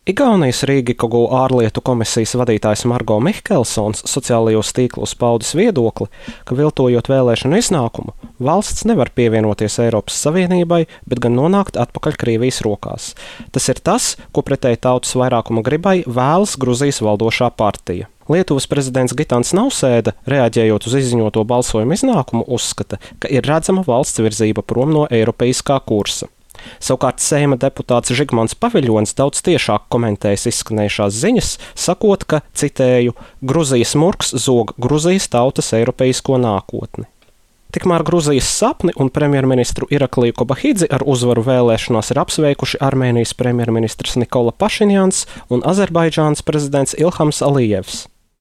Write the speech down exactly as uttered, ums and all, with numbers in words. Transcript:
Igaunijas Rīgikogu ārlietu komisijas vadītājs Margo Mihkelsons sociālajos tīklos paudis viedokli, ka viltojot vēlēšanu iznākumu, valsts nevar pievienoties Eiropas Savienībai, bet gan nonākt atpakaļ Krievijas rokās. Tas ir tas, ko pretēji tautas vairākuma gribai vēlas Gruzijas valdošā partija. Lietuvas prezidents Gitans Nausēda, reaģējot uz izziņoto balsojumu iznākumu, uzskata, ka ir redzama valsts virzība prom no eiropeiskā kursa. Savukārt Seima deputāts Žigmants Paviļons daudz tiešāk komentējis izskanējušās ziņas, sakot, ka, citēju, Gruzijas murgs zog Gruzijas tautas eiropeisko nākotni. Tikmēr Gruzijas sapni un premjerministru Irakliju Kobahidzi ar uzvaru vēlēšanās ir apsveikuši Armēnijas premjerministrs Nikola Pašinjans un Azerbaidžānas prezidents Ilhams Alijevs.